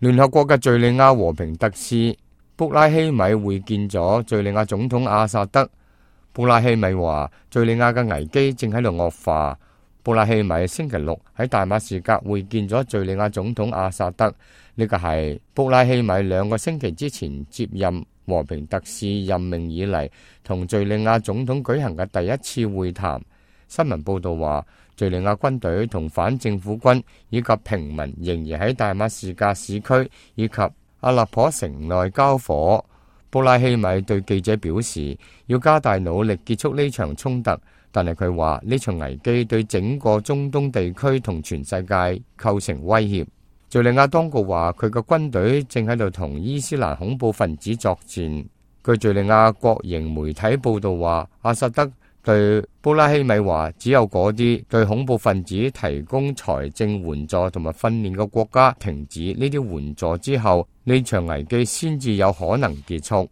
聯合國嘅敘利亞和平特使布拉希米會見咗敘利亞總統阿薩德。布拉希米話，敘利亞嘅危機正喺度惡化。布拉希米星期六喺大馬士革會見咗敘利亞總統阿薩德，呢個係布拉希米2個星期之前接任和平特使任命以嚟同敘利亞總統舉行嘅第一次會談。新聞報道話，敘利亞軍隊同反政府軍以及平民仍然喺大馬士革市區以及阿勒頗城內交火。布拉希米對記者表示，要加大努力結束呢場衝突，但係佢話呢場危機對整個中東地區同全世界構成威脅。敘利亞當局話，佢嘅軍隊正喺度同伊斯蘭恐怖分子作戰。據敘利亞國營媒體報道話，阿薩德對布拉希米話，只有嗰啲對恐怖分子提供財政援助同埋訓練嘅國家停止呢啲援助之後，呢場危機先至有可能結束。